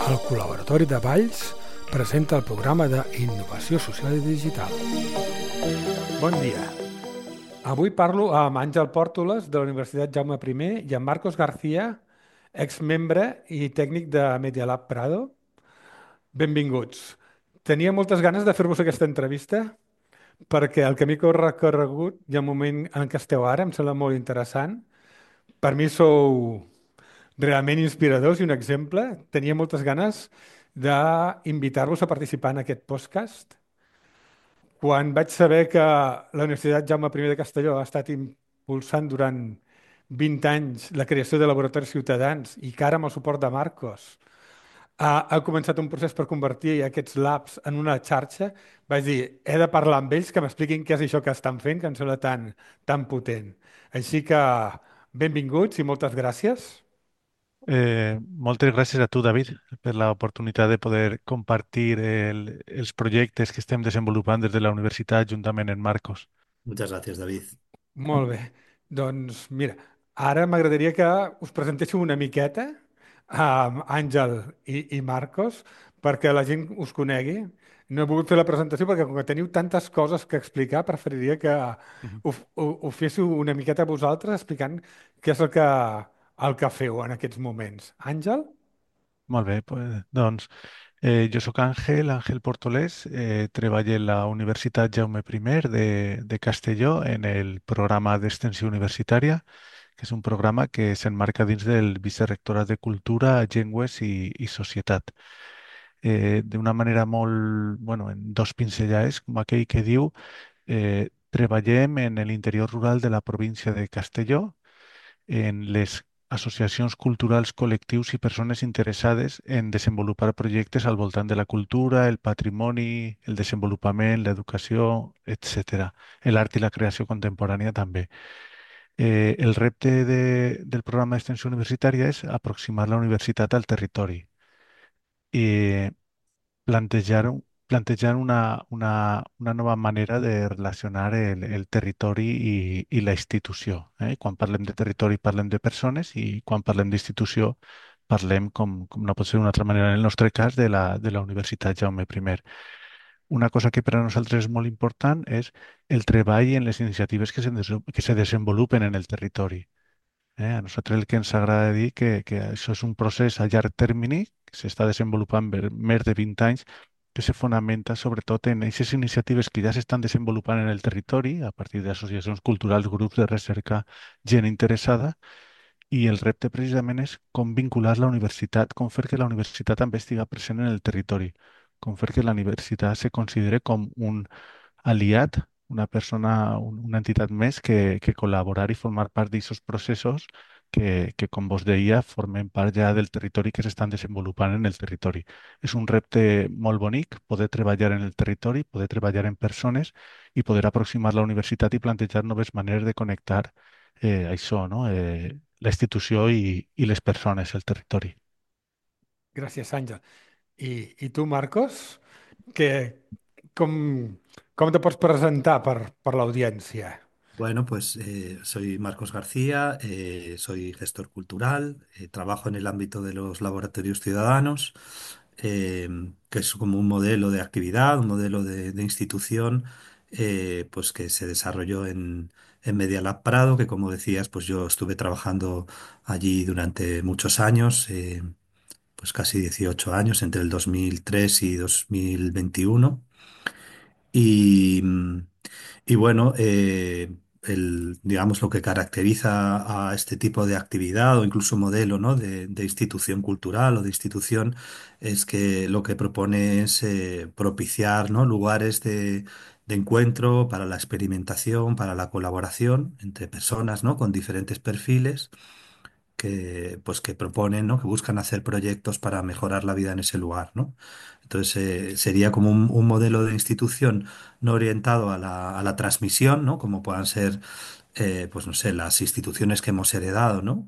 El Col·laboratori de Valls presenta el programa d'Innovació Social i Digital. Bon dia. Avui parlo amb Àngel Pòrtoles de la Universitat Jaume I i amb Marcos García, exmembre i tècnic de Media Lab Prado. Benvinguts. Tenia moltes ganes de fer-vos aquesta entrevista perquè el camí que heu recorregut i el moment en què esteu ara em sembla molt interessant. Per mi sou realment inspiradors i un exemple. Tenia moltes ganes d'invitar-vos a participar en aquest podcast. Quan vaig saber que la Universitat Jaume I de Castelló ha estat impulsant durant 20 anys la creació de laboratoris ciutadans i que ara amb el suport de Marcos ha començat un procés per convertir aquests labs en una xarxa, vaig dir, he de parlar amb ells que m'expliquin què és això que estan fent, que em sembla tan potent. Així que benvinguts i moltes gràcies. Moltes gràcies a tu, David, per l'oportunitat de poder compartir els projectes que estem desenvolupant des de la universitat juntament amb Marcos. Muchas gracias, David. Molt bé. Doncs mira, ara m'agradaria que us presentéssiu una miqueta a Àngel i Marcos perquè la gent us conegui. No he volgut fer la presentació perquè com que teniu tantes coses que explicar, preferiria que Mhm. ho féssiu una miqueta vosaltres explicant què és el que feu en aquests moments. Àngel? Molt bé, pues, doncs jo sóc Àngel Portolés, treballo en la Universitat Jaume I de Castelló en el programa d'extensió universitària, que és un programa que s'emmarca dins del Vicerrectorat de Cultura, Llengües i Societat. D'una manera molt, bueno, en dos pinzellades, com aquell que diu, treballem en l'interior rural de la província de Castelló, en les associacions culturals, col·lectius i persones interessades en desenvolupar projectes al voltant de la cultura, el patrimoni, el desenvolupament, l'educació, etc. L'art i la creació contemporània també. El repte del programa d'extensió universitària és aproximar la universitat al territori. I plantejar una nova manera de relacionar el territori i la institució. Quan parlem de territori parlem de persones i quan parlem d'institució parlem, com no pot ser d'una altra manera en el nostre cas, de la Universitat Jaume I. Una cosa que per a nosaltres és molt important és el treball en les iniciatives que se desenvolupen en el territori. A nosaltres el que ens agrada dir que això és un procés a llarg termini que s'està desenvolupant per més de 20 anys, que se fonamenta sobretot en aquestes iniciatives que ja s'estan desenvolupant en el territori a partir d'associacions culturals, grups de recerca, gent interessada, i el repte precisament és com vincular la universitat, com fer que la universitat també estigui present en el territori, com fer que la universitat se considere com un aliat, una persona, una entitat més que col·laborar i formar part d'aquests processos que, com vos deia, formen part ja del territori que s'estan desenvolupant en el territori. És un repte molt bonic poder treballar en el territori, poder treballar en persones i poder aproximar la universitat i plantejar noves maneres de connectar això, no? La institució i les persones, el territori. Gràcies, Àngel. I tu, Marcos? Que, com, com te pots presentar per l'audiència? Bueno, pues soy Marcos García, soy gestor cultural, trabajo en el ámbito de los laboratorios ciudadanos, que es como un modelo de actividad, un modelo de institución, pues que se desarrolló en Media Lab Prado, que como decías, pues yo estuve trabajando allí durante muchos años, pues casi 18 años, entre el 2003 y 2021. Y, y bueno, digamos lo que caracteriza a este tipo de actividad o incluso modelo, ¿no? de institución cultural o de institución es que lo que propone es propiciar, ¿no? lugares de encuentro para la experimentación, para la colaboración entre personas, ¿no? con diferentes perfiles que proponen, ¿no? Que buscan hacer proyectos para mejorar la vida en ese lugar, ¿no? Entonces, sería como un modelo de institución no orientado a la transmisión, ¿no? Como puedan ser, pues no sé, las instituciones que hemos heredado, ¿no?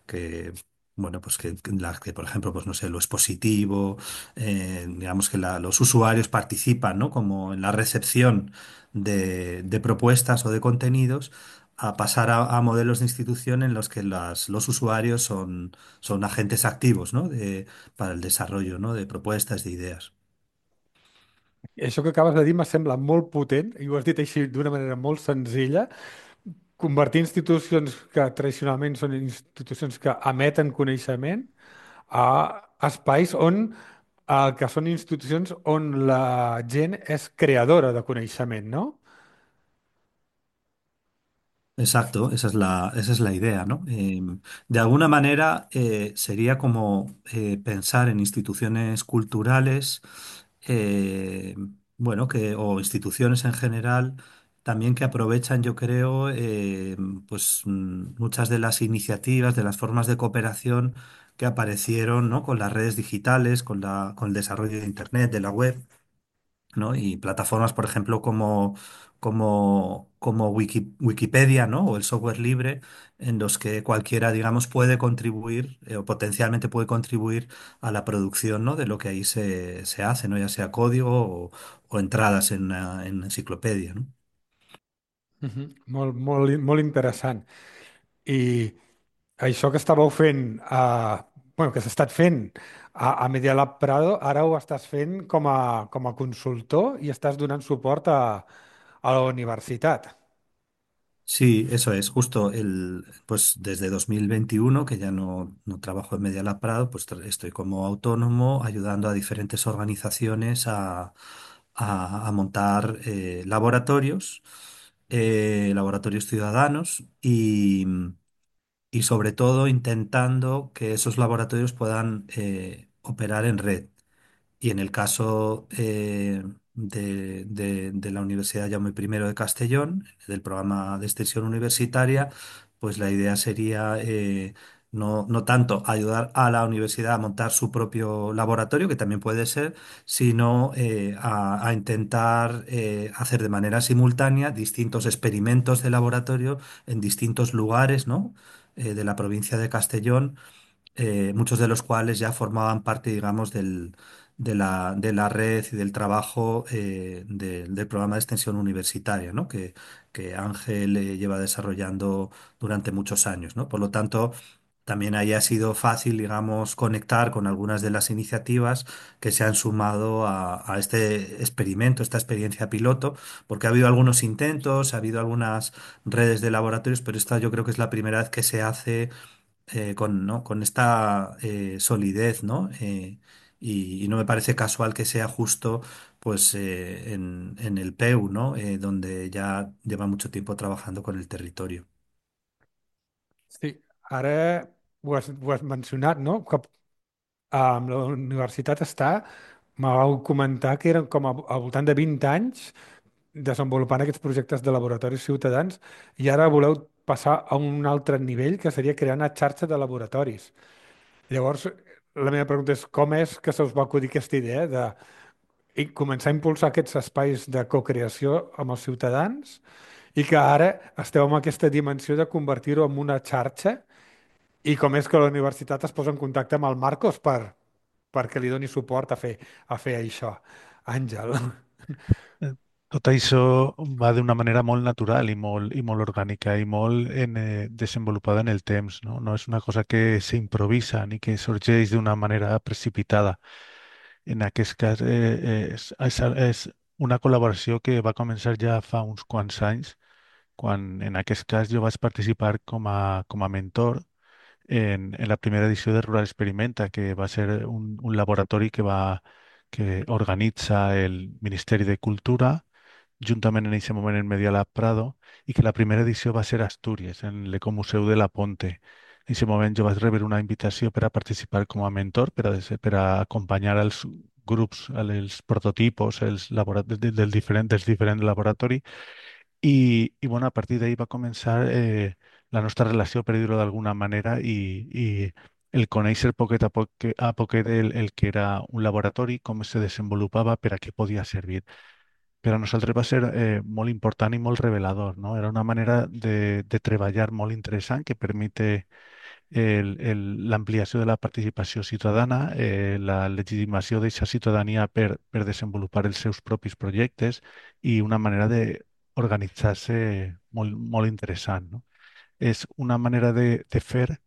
Que, bueno, pues que las que, por ejemplo, pues no sé, lo expositivo, digamos que los usuarios participan, ¿no? Como en la recepción de propuestas o de contenidos, a pasar a modelos de institución en los que los usuarios son agentes activos, ¿no? Para el desarrollo, ¿no? De propuestas, de ideas. Això que acabes de dir me sembla molt potent, i ho has dit així d'una manera molt senzilla, convertir institucions que tradicionalment són institucions que emeten coneixement a espais on que són institucions on la gent és creadora de coneixement, no? Exacto, esa es la idea, ¿no? De alguna manera sería como pensar en instituciones culturales, eh, bueno, o instituciones en general, también que aprovechan, yo creo, pues muchas de las iniciativas, de las formas de cooperación que aparecieron, ¿no? Con las redes digitales, con el desarrollo de Internet, de la web. ¿No? Y plataformas, por ejemplo, como Wikipedia, ¿no? O el software libre, en los que cualquiera, digamos, puede contribuir o potencialmente puede contribuir a la producción, ¿no? De lo que ahí se hace, ¿no? Ya sea código o entradas en enciclopedia, ¿no? Molt, molt, molt interessant. I això que estàveu fent, bueno, que s'ha estat fent a Media Lab Prado, ara ho estàs fent com a consultor i estàs donant suport a la universitat. Sí, eso es, justo pues desde 2021, que ya no trabajo en Media Lab Prado, pues estoy como autónomo ayudando a diferentes organizaciones a montar laboratorios ciudadanos y sobre todo intentando que esos laboratorios puedan operar en red. Y en el caso de la Universidad Jaume I de Castellón, del programa de extensión universitaria, pues la idea sería no tanto ayudar a la universidad a montar su propio laboratorio, que también puede ser, sino a intentar hacer de manera simultánea distintos experimentos de laboratorio en distintos lugares, ¿no? De la provincia de Castellón, muchos de los cuales ya formaban parte, digamos, de la red y del trabajo del programa de extensión universitaria, ¿no? Que Ángel lleva desarrollando durante muchos años, ¿no? Por lo tanto, también ahí ha sido fácil, digamos, conectar con algunas de las iniciativas que se han sumado a este experimento, esta experiencia piloto, porque ha habido algunos intentos, ha habido algunas redes de laboratorios, pero esta yo creo que es la primera vez que se hace ¿no? Con esta solidez, ¿no? Y no me parece casual que sea justo pues en el PEU, ¿no? Donde ya lleva mucho tiempo trabajando con el territorio. Sí, ara ho has mencionat, no? Que la universitat està, me vau comentar que eren com al voltant de 20 anys desenvolupant aquests projectes de laboratoris ciutadans i ara voleu passar a un altre nivell que seria crear una xarxa de laboratoris. Llavors, la meva pregunta és que se us va acudir aquesta idea de començar a impulsar aquests espais de cocreació amb els ciutadans i que ara esteu en aquesta dimensió de convertir-ho en una xarxa i com és que la universitat es posa en contacte amb el Marcos perquè li doni suport a fer això. Àngel. Eh, Tot això va d'una manera molt natural i molt orgànica i molt desenvolupada en el temps, no? No és una cosa que s'improvisa ni que sorgeix d'una manera precipitada. En aquest cas, és una col·laboració que va començar ja fa uns quants anys, quan en aquest cas jo vaig participar com a mentor en la primera edició de Rural Experimenta, que va ser un laboratori que organitza el Ministeri de Cultura, juntament en aquest moment en Media Lab Prado, i que la primera edició va ser a Astúries, en l'Ecomuseu de la Ponte. En aquest moment jo vaig rebre una invitació per a participar com a mentor, per a acompanyar els grups, els prototipos, dels diferents laboratoris, bueno, a partir d'ahir va començar la nostra relació, per dir-ho d'alguna manera, i el conèixer poquet a poquet el que era un laboratori, com se desenvolupava, per a què podia servir. Per a nosaltres va ser molt important i molt revelador, no? Era una manera de treballar molt interessant que permite l'ampliació de la participació ciutadana, la legitimació d'aquesta ciutadania per desenvolupar els seus propis projectes i una manera organitzar-se molt interessant, no? És una manera de fer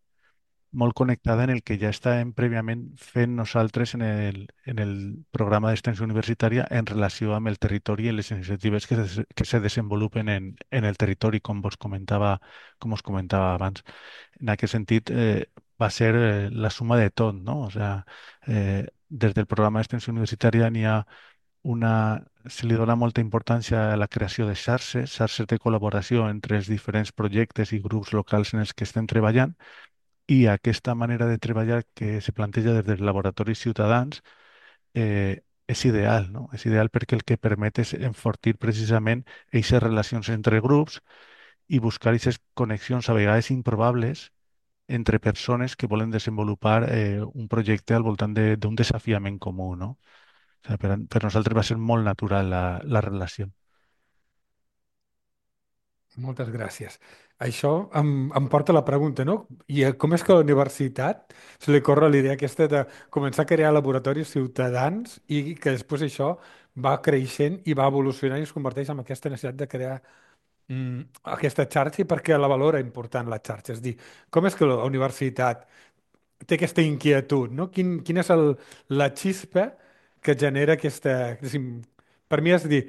molt connectada en el que ja estàvem prèviament fent nosaltres en el programa d'extensió universitària en relació amb el territori i les iniciatives que se desenvolupen en el territori, com us comentava abans. En aquest sentit, va ser la suma de tot, no? O sea, des del programa d'extensió universitària se li dona molta importància a la creació de xarxes, xarxes de col·laboració entre els diferents projectes i grups locals en els que estem treballant, i aquesta manera de treballar que se planteja des dels laboratoris ciutadans és ideal, no? És ideal perquè el que permet és enfortir precisament aquestes relacions entre grups i buscar aquestes connexions a vegades improbables entre persones que volen desenvolupar un projecte al voltant d'un desafiament comú, no? O sigui, per nosaltres va ser molt natural la relació. Moltes gràcies. Això em porta a la pregunta, no? I com és que a la universitat se li corre l'idea aquesta de començar a crear laboratoris ciutadans i que després això va creixent i va evolucionant i es converteix en aquesta necessitat de crear aquesta xarxa i perquè la valora important la xarxa. És a dir, com és que la universitat té aquesta inquietud, no? Quina és la xispa que genera aquesta... diguéssim, per mi és a dir,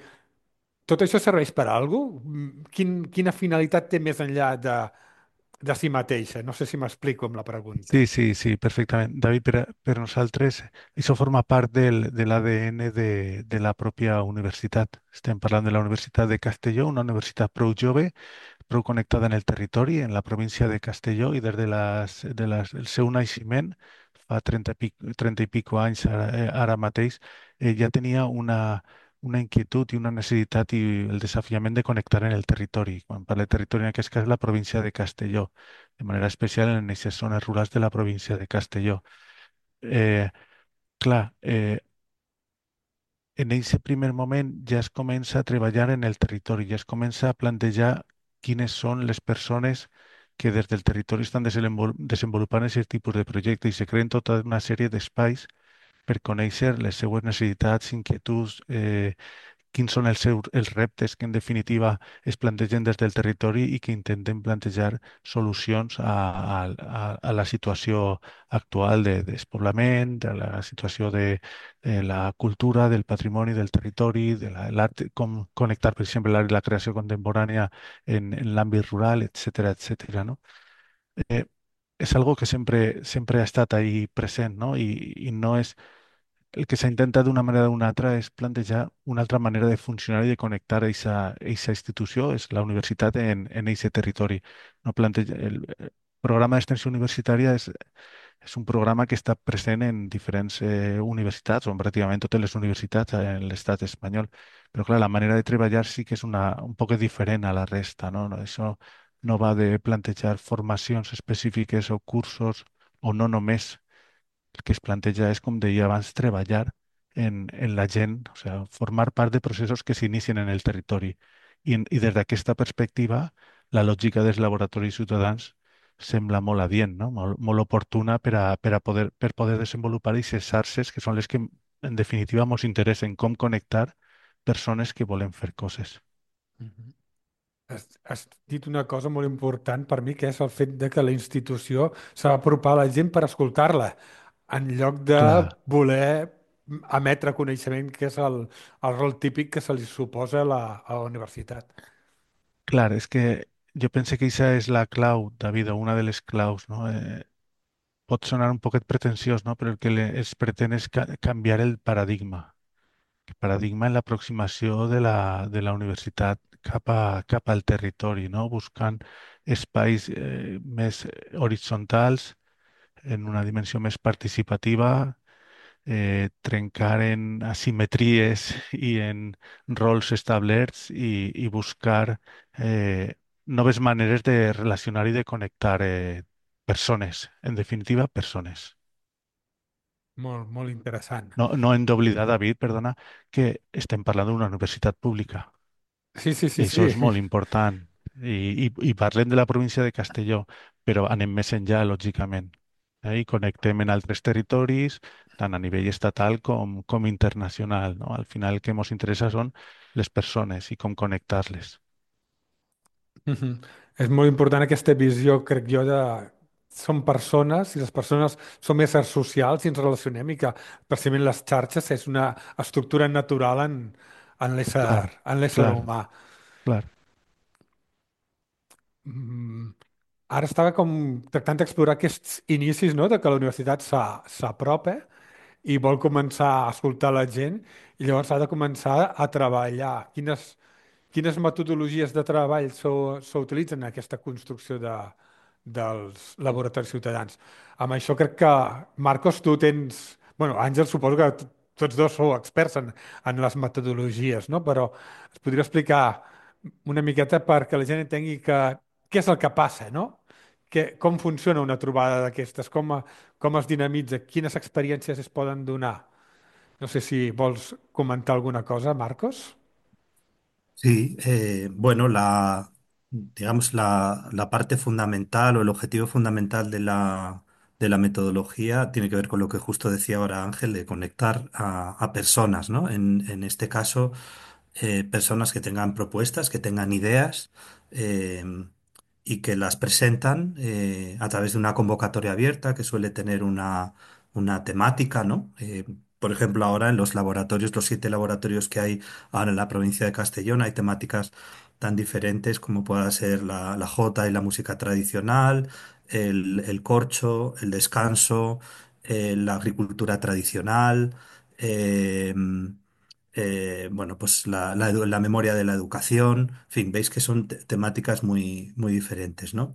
tot això serveix per a alguna cosa? Quina finalitat té més enllà de si mateixa? No sé si m'explico amb la pregunta. Sí, sí, sí, perfectament. David, per nosaltres això forma part de l'ADN de la pròpia universitat. Estem parlant de la Universitat de Castelló, una universitat prou jove, prou connectada en el territori, en la província de Castelló, i des el seu naixement, fa 30 i pico anys ara mateix, ja tenia una inquietud i una necessitat i el desafiament de connectar en el territori. Quan parla de territori, en aquest cas, la província de Castelló, de manera especial en aquestes zones rurals de la província de Castelló. Eh, clar, en aquest primer moment ja es comença a treballar en el territori, ja es comença a plantejar quines són les persones que des del territori estan desenvolupant aquest tipus de projecte i se creen tota una sèrie d'espais per conèixer les seues necessitats, inquietuds, quins són els reptes que en definitiva es plantegen des del territori i que intenten plantejar solucions a la situació actual de despoblament, de la situació de la cultura, del patrimoni, del territori, de l'art, com connectar, per exemple, l'art i la creació contemporània en l'àmbit rural, etcètera, etcètera, no? Eh, és algo que sempre ha estat ahí present, no? I no és el que s'ha intentat d'una manera o d'una altra és plantejar una altra manera de funcionar i de connectar aquesta institució, és la universitat en aquest territori. No el programa d'extensió universitària és un programa que està present en diferents universitats, o en pràcticament totes les universitats en l'estat espanyol. Però, clar, la manera de treballar sí que és un poc diferent a la resta, no? Això no va de plantejar formacions específiques o cursos, o no només el que es planteja és, com deia abans, treballar en la gent, o sigui, formar part de processos que s'inicien en el territori. I des d'aquesta perspectiva, la lògica dels laboratoris ciutadans sembla molt adient, no? Molt oportuna per poder desenvolupar aquestes xarxes que són les que, en definitiva, ens interessen, com connectar persones que volen fer coses. Mhm. Has dit una cosa molt important per mi, que és el fet de que la institució s'ha d'apropar a la gent per escoltar-la, en lloc de Clar, voler emetre coneixement, que és el rol típic que se li suposa a la universitat. clar, és que jo penso que aquesta és la clau, David, o una de les claus, no? Pot sonar un poquet pretensiós, no? Però el que es pretén és canviar el paradigma en l'aproximació de la universitat cap al territori, no? Buscant espais més horitzontals, en una dimensió més participativa, trencar en asimetries i en rols establerts i buscar noves maneres de relacionar i de connectar persones, en definitiva, persones. Molt, molt interessant. No, no hem d'oblidar, David, perdona, que estem parlant d'una universitat pública. Sí, sí, sí, I això sí. és molt important. I parlem de la província de Castelló, però anem més enllà, lògicament. I connectem en altres territoris, tant a nivell estatal com internacional, no? Al final el que ens interessa són les persones i com connectar-les. Mhm. És molt important aquesta visió, crec jo, de som persones i les persones som éssers socials i ens relacionem i que precisament les xarxes és una estructura natural Claro, en l'ésser claro, humà. claro. Mm, Ara estava com tractant d'explorar aquests inicis, no?, de que la universitat s'apropa i vol començar a escoltar la gent i llavors ha de començar a treballar. Quines metodologies de treball s'utilitzen en aquesta construcció dels laboratoris ciutadans? Amb això crec que, Marcos, tu tens... Bueno, Àngel, suposo que tots dos sou experts en les metodologies, no? Però es podria explicar una miqueta perquè la gent entengui què és el que passa, no? Com funciona una trobada d'aquestes? Com es dinamitza? Quines experiències es poden donar? No sé si vols comentar alguna cosa, Marcos. Sí, bueno, digamos, la parte fundamental o el objetivo fundamental de la metodología tiene que ver con lo que justo decía ahora Ángel, de conectar a personas, ¿no? En este caso, personas que tengan propuestas, que tengan ideas eh, y que las presentan a través de una convocatoria abierta que suele tener una temática, ¿no? Por ejemplo, ahora en los laboratorios, los 7 laboratorios que hay ahora en la provincia de Castellón, hay temáticas tan diferentes como pueda ser la jota y la música tradicional, el corcho, el descanso, la agricultura tradicional, eh, bueno, pues la memoria de la educación, en fin, veis que son temáticas muy diferentes, ¿no?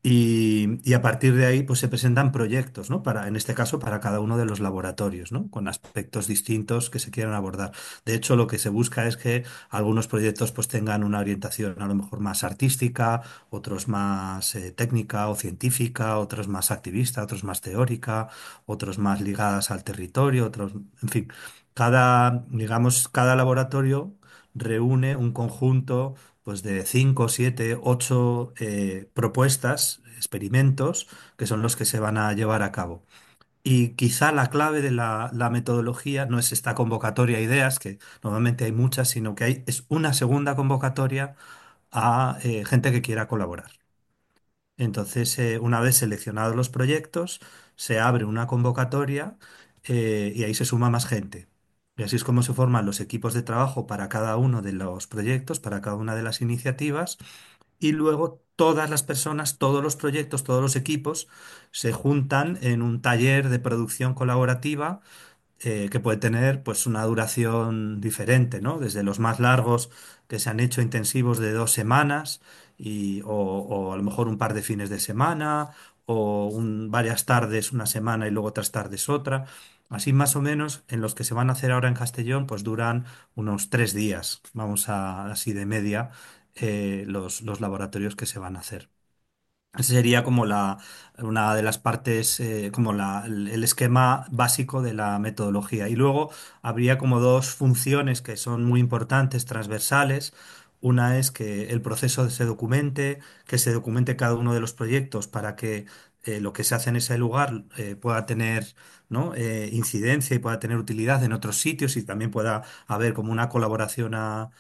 Y a partir de ahí, pues se presentan proyectos, ¿no? En este caso, para cada uno de los laboratorios, ¿no? Con aspectos distintos que se quieran abordar. De hecho, lo que se busca es que algunos proyectos, pues, tengan una orientación a lo mejor más artística, otros más técnica o científica, otros más activista, otros más teórica, otros más ligadas al territorio, otros, en fin, digamos, cada laboratorio reúne un conjunto pues de 5, 7, 8 propuestas, experimentos, que son los que se van a llevar a cabo. Y quizá la clave de la metodología no es esta convocatoria a ideas, que normalmente hay muchas, sino que es una segunda convocatoria a gente que quiera colaborar. Entonces, una vez seleccionados los proyectos, se abre una convocatoria y ahí se suma más gente. Y así es como se forman los equipos de trabajo para cada uno de los proyectos, para cada una de las iniciativas. Y luego todas las personas, todos los proyectos, todos los equipos se juntan en un taller de producción colaborativa que puede tener pues una duración diferente, ¿no? Desde los más largos que se han hecho intensivos de 2 semanas o a lo mejor un par de fines de semana o varias tardes una semana y luego otras tardes otra. Así más o menos en los que se van a hacer ahora en Castellón pues duran unos 3 días, vamos a así de media, los laboratorios que se van a hacer. Ese sería como una de las partes, como el esquema básico de la metodología. Y luego habría como dos funciones que son muy importantes, transversales. Una es que el proceso que se documente cada uno de los proyectos para que lo que se hace en ese lugar pueda tener, ¿no? Incidencia y pueda tener utilidad en otros sitios y también pueda haber como una colaboración a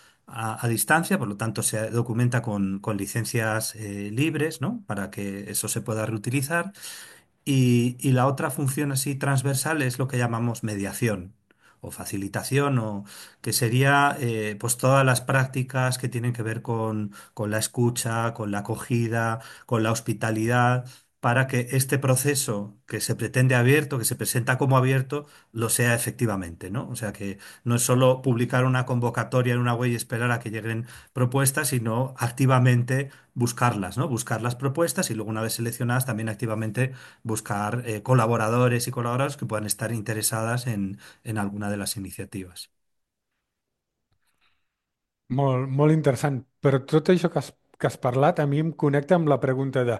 distancia, por lo tanto se documenta con licencias libres, ¿no? Para que eso se pueda reutilizar. Y la otra función así transversal es lo que llamamos mediación o facilitación, o que sería pues todas las prácticas que tienen que ver con la escucha, con la acogida, con la hospitalidad, para que este proceso que se pretende abierto, que se presenta como abierto, lo sea efectivamente, ¿no? O sea que no es solo publicar una convocatoria en una web y esperar a que lleguen propuestas, sino activamente buscarlas, ¿no? Buscar las propuestas y luego una vez seleccionadas también activamente buscar colaboradores y colaboradoras que puedan estar interesadas en alguna de las iniciativas. Molt interessant. Però tot això que has parlat a mi em connecta amb la pregunta de...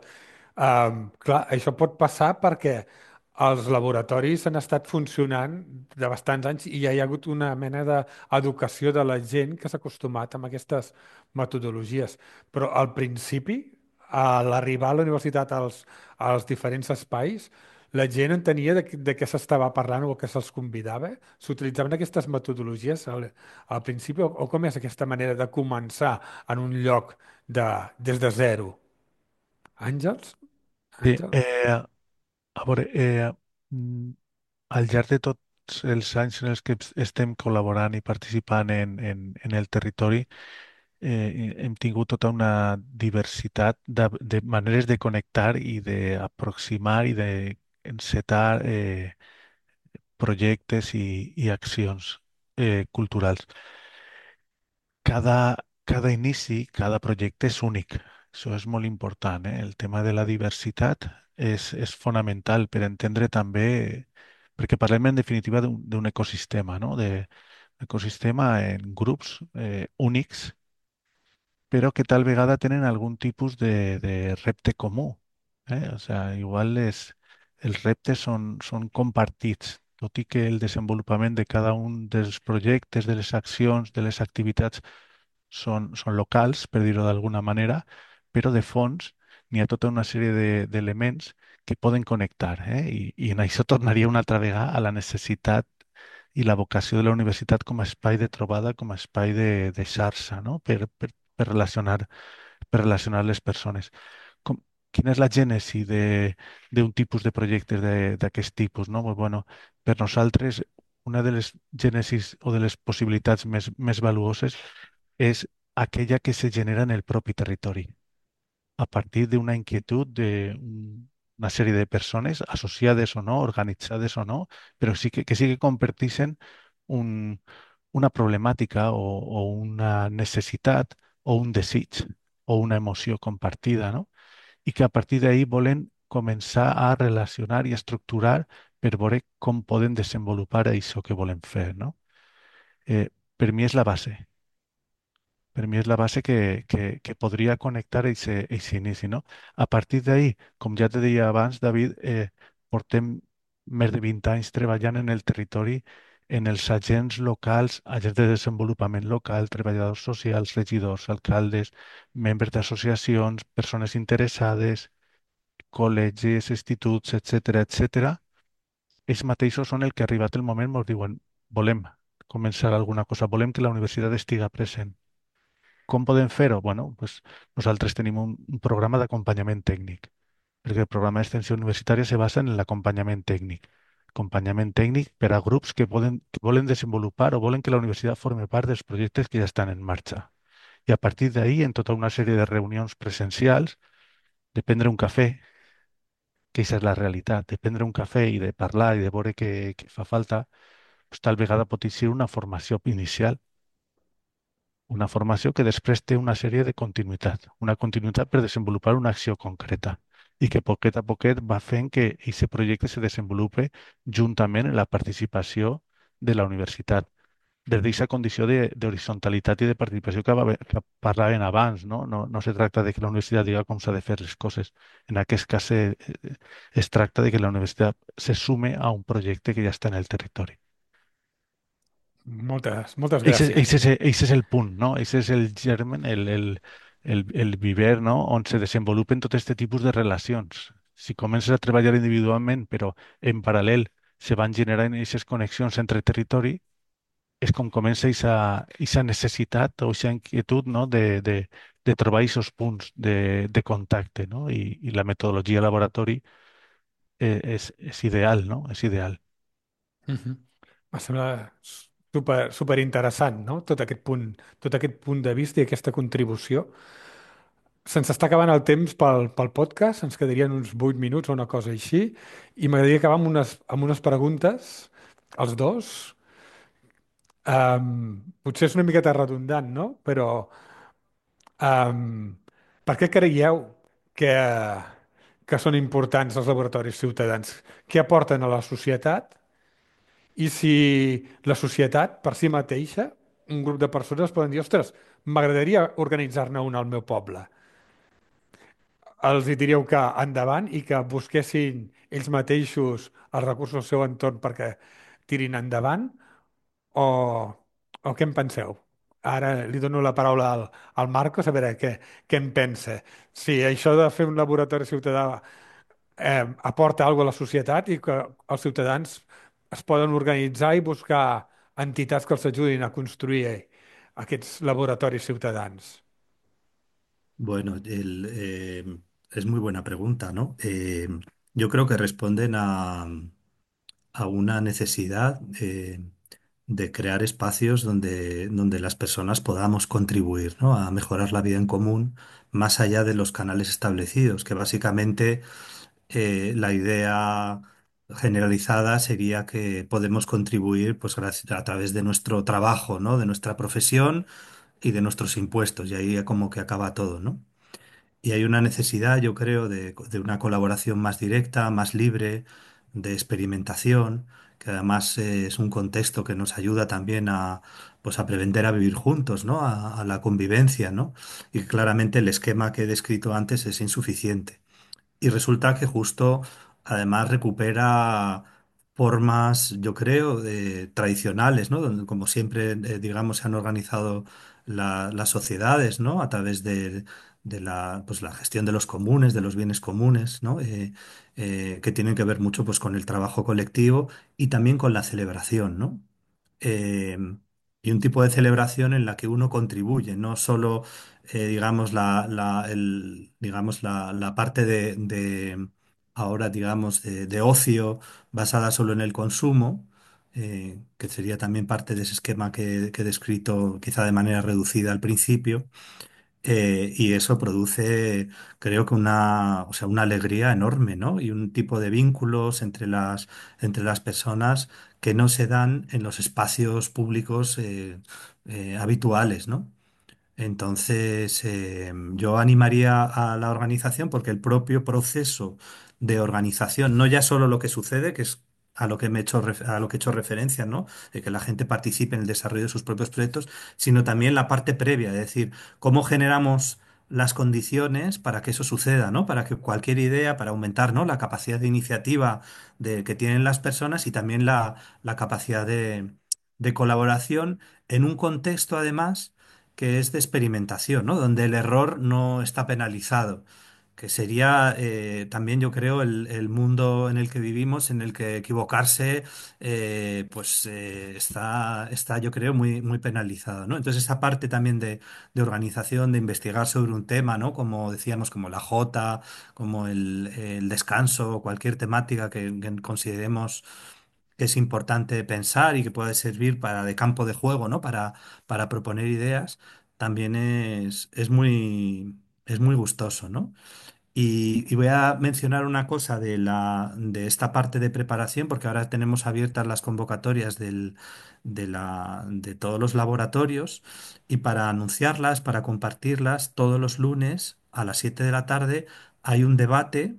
clar, això pot passar perquè els laboratoris han estat funcionant de bastants anys i ja hi ha hagut una mena d'educació de la gent que s'ha acostumat amb aquestes metodologies. Però al principi, a l'arribar a la universitat als diferents espais, la gent entenia de què s'estava parlant o que se'ls convidava? S'utilitzaven aquestes metodologies al principi o com és aquesta manera de començar en un lloc des de zero. Àngels? Sí, Àngels? a veure, mm, al llarg de tots els anys en els que estem col·laborant i participant en el territori, hem tingut tota una diversitat de maneres de connectar i d'aproximar i d'encetar projectes i accions culturals. Cada inici, cada projecte és únic. Això és molt important, eh? El tema de la diversitat és fonamental per entendre també, perquè parlem en definitiva d'un ecosistema, no? De ecosistema en grups únics, però que tal vegada tenen algun tipus de repte comú. O sea, igual els reptes són compartits, tot i que el desenvolupament de cada un dels projectes, de les accions, de les activitats són locals, per dir-ho d'alguna manera, però de fons n'hi ha tota una sèrie d'elements que poden connectar, I en això tornaria una altra vegada a la necessitat i la vocació de la universitat com a espai de trobada, com a espai de xarxa, no? Per per relacionar les persones. Com, quina és la gènesi d'un tipus de projectes d'aquest tipus, no? Pues, bueno, per nosaltres, una de les gènesis o de les possibilitats més valuoses és aquella que se genera en el propi territori, a partir d'una inquietud una sèrie de persones, associades o no, organitzades o no, però que sí que comparteixen un, una problemàtica o una necessitat o un desig o una emoció compartida, no? I que a partir d'ahí volen començar a relacionar i estructurar per veure com poden desenvolupar això que volen fer, no? Per mi és la base. Per mi és la base que podria connectar aquest inici, no? A partir d'ahí, com ja te deia abans, David, portem més de 20 anys treballant en el territori, en els agents locals, agents de desenvolupament local, treballadors socials, regidors, alcaldes, membres d'associacions, persones interessades, col·legis, instituts, etc. Ells mateixos són el que ha arribat el moment, ens diuen, volem començar alguna cosa, volem que la universitat estiga present. Com podem fer-ho? Bueno, pues nosaltres tenim un programa d'acompanyament tècnic, perquè el programa d'extensió universitària se basa en l'acompanyament tècnic. Acompanyament tècnic per a grups que volen desenvolupar o volen que la universitat formi part dels projectes que ja estan en marxa. I a partir d'ahí, en tota una sèrie de reunions presencials, de prendre un cafè, que aquesta és la realitat, de prendre un cafè i de parlar i de veure què fa falta, pues, tal vegada pot ser una formació inicial, una formació que després té una continuïtat per desenvolupar una acció concreta i que poquet a poquet va fent que aquest projecte se desenvolupe juntament en la participació de la universitat. Des d'aquesta condició d'horitzontalitat i de participació que parlaven abans, no? No se tracta de que la universitat diga com s'ha de fer les coses. En aquest cas es tracta de que la universitat se sume a un projecte que ja està en el territori. Moltes gràcies. Ese és el punt, no? Ese és el germen, el viver, no? On se desenvolupen tot aquest tipus de relacions. Si comences a treballar individualment, però en paral·lel se van generant aquestes connexions entre territori, és com comença aquesta necessitat o aquesta inquietud, no? De trobar aquests punts de contacte, no? I la metodologia laboratori és ideal, no? És ideal. Mhm. Em sembla super interessant, no? Tot aquest punt de vista i aquesta contribució. Se'ns està acabant el temps pel podcast, ens quedarien uns 8 minuts o una cosa així, i m'agradaria acabar amb unes preguntes, als dos. Potser és una miqueta redundant, no? Però per què creieu que, que són importants els laboratoris ciutadans? Què aporten a la societat? I si la societat, per si mateixa, un grup de persones poden dir, ostres, m'agradaria organitzar-ne un al meu poble. Els hi diríeu que endavant i que busquessin ells mateixos els recursos al seu entorn perquè tirin endavant o, o què en penseu? Ara li dono la paraula al Marcos a veure què en pensa. Si això de fer un laboratori ciutadà aporta alguna cosa a la societat i que els ciutadans es poden organitzar i buscar entitats que els ajudin a construir aquests laboratoris ciutadans. Bueno, es muy buena pregunta, ¿no? Yo creo que responden a una necesidad de crear espacios donde las personas podamos contribuir, ¿no? A mejorar la vida en común más allá de los canales establecidos, que básicamente la idea generalizada sería que podemos contribuir pues, a través de nuestro trabajo, ¿no? De nuestra profesión y de nuestros impuestos, y ahí como que acaba todo, ¿no? Y hay una necesidad, yo creo, de una colaboración más directa, más libre, de experimentación, que además es un contexto que nos ayuda también pues, a aprender a vivir juntos, ¿no? A la convivencia, ¿no? Y claramente el esquema que he descrito antes es insuficiente. Y resulta que justo además recupera formas, yo creo, tradicionales, ¿no? Donde, como siempre, digamos, se han organizado las sociedades, ¿no? A través de pues, la gestión de los comunes, de los bienes comunes, ¿no? Que tienen que ver mucho, pues, con el trabajo colectivo y también con la celebración, ¿no? eh, y un tipo de celebración en la que uno contribuye, no solo, digamos, digamos, la parte ahora, digamos, de ocio basada solo en el consumo, que sería también parte de ese esquema que he descrito quizá de manera reducida al principio. Y eso produce, creo que o sea, una alegría enorme, ¿no? Y un tipo de vínculos entre las personas que no se dan en los espacios públicos habituales, ¿no? Entonces, yo animaría a la organización porque el propio proceso de organización, no ya solo lo que sucede, que es a lo que a lo que he hecho referencia, ¿no? De que la gente participe en el desarrollo de sus propios proyectos, sino también la parte previa, es decir, cómo generamos las condiciones para que eso suceda, ¿no? Para que cualquier idea, para aumentar, ¿no? La capacidad de iniciativa que tienen las personas y también la capacidad de colaboración en un contexto, además, que es de experimentación, ¿no? Donde el error no está penalizado, que sería también, yo creo, el mundo en el que vivimos, en el que equivocarse, está, yo creo, muy penalizado, ¿no? Entonces, esa parte también de organización, de investigar sobre un tema, ¿no? Como decíamos, como la Jota, como el descanso, cualquier temática que consideremos que es importante pensar y que puede servir para de campo de juego, ¿no? Para proponer ideas, también es muy gustoso, ¿no? Y voy a mencionar una cosa de esta parte de preparación, porque ahora tenemos abiertas las convocatorias de todos los laboratorios y para anunciarlas, para compartirlas, todos los lunes a las 7 de la tarde hay un debate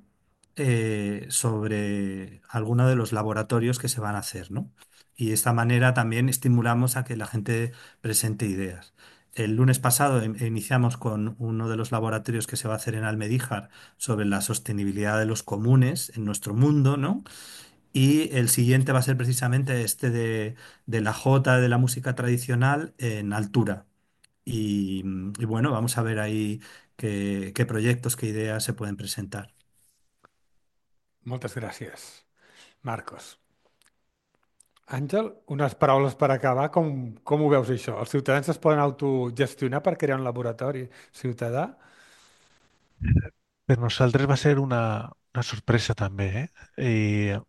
sobre alguno de los laboratorios que se van a hacer, ¿no? Y de esta manera también estimulamos a que la gente presente ideas. El lunes pasado iniciamos con uno de los laboratorios que se va a hacer en Almedíjar sobre la sostenibilidad de los comunes en nuestro mundo, ¿no? Y el siguiente va a ser precisamente este de la jota, de la música tradicional en altura. Y bueno, vamos a ver ahí qué proyectos, qué ideas se pueden presentar. Moltes gràcies, Marcos. Àngel, unes paraules per acabar. Com ho veus, això? Els ciutadans es poden autogestionar per crear un laboratori ciutadà? Per nosaltres va ser una sorpresa també, eh?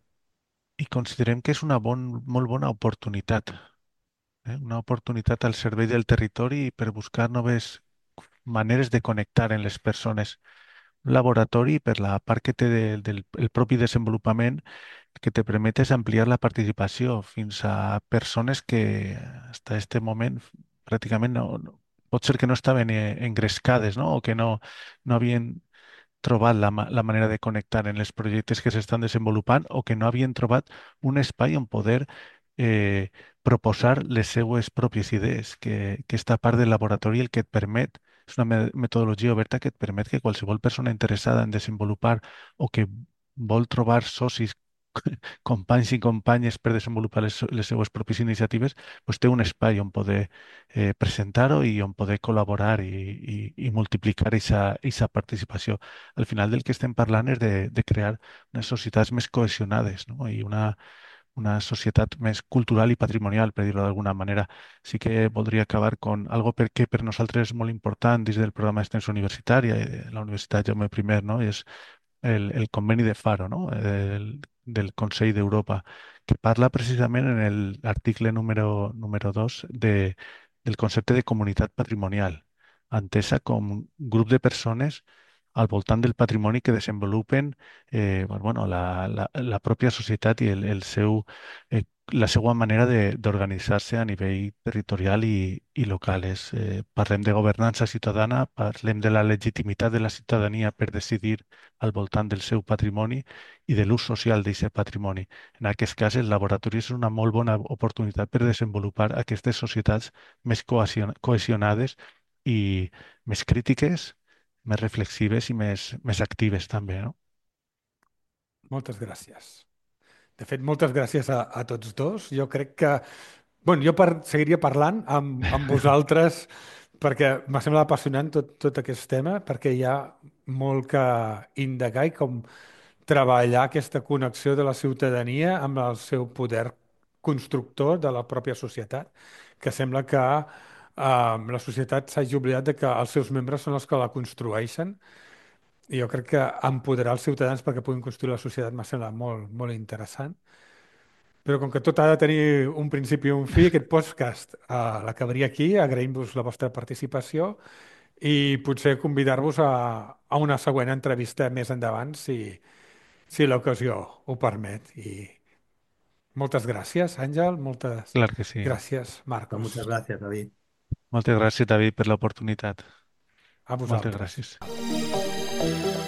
I considerem que és una molt bona oportunitat, una oportunitat al servei del territori per buscar noves maneres de connectar en les persones. Un laboratori, per la part que té del el propi desenvolupament, que te permet és ampliar la participació fins a persones que fins a este moment pràcticament pot ser que no estaven engrescades, no? O que no havien trobat la manera de connectar en els projectes que s'estan desenvolupant o que no havien trobat un espai on poder eh, proposar les seues pròpies idees, que esta part del laboratori el que et permet, és una metodologia oberta que et permet que qualsevol persona interessada en desenvolupar o que vol trobar socis, companys i companyes per desenvolupar les seues pròpies iniciatives, doncs té un espai on poder presentar-ho i on poder col·laborar i multiplicar aquesta participació. Al final del que estem parlant és de crear unes societats més cohesionades, no? I una societat més cultural i patrimonial, per dir-ho d'alguna manera. Sí que voldria acabar con algo que per nosaltres és molt important dins del programa d'extensió universitària i de la Universitat Jaume I, no? I és el conveni de Faro, no? Del Consell d'Europa, que parla precisament en l'article número 2 del concepte de comunitat patrimonial, entesa com un grup de persones al voltant del patrimoni que desenvolupen bueno, la pròpia societat i la seva manera d'organitzar-se a nivell territorial i local. Parlem de governança ciutadana, parlem de la legitimitat de la ciutadania per decidir al voltant del seu patrimoni i de l'ús social d'aquest patrimoni. En aquest cas, el laboratori és una molt bona oportunitat per desenvolupar aquestes societats més cohesionades i més crítiques, més reflexives i més actives també, no? Moltes gràcies. De fet, moltes gràcies a tots dos. Jo crec que bueno, seguiria parlant amb vosaltres perquè m'ha semblat apassionant tot aquest tema, perquè hi ha molt que indagar i com treballar aquesta connexió de la ciutadania amb el seu poder constructor de la pròpia societat, que sembla que la societat s'hagi oblidat de que els seus membres són els que la construeixen. I jo crec que empoderar els ciutadans perquè puguin construir la societat m'ha semblat molt, molt interessant. Però com que tot ha de tenir un principi i un fi, aquest podcast l'acabaria aquí. Agraïm-vos la vostra participació i potser convidar-vos a una següent entrevista més endavant, si l'ocasió ho permet. I moltes gràcies, Àngel, moltes Clar que sí. gràcies, Pues Marcos. muchas gracias, David. Moltes gràcies, David, per l'oportunitat. A Moltes vosaltres. gràcies.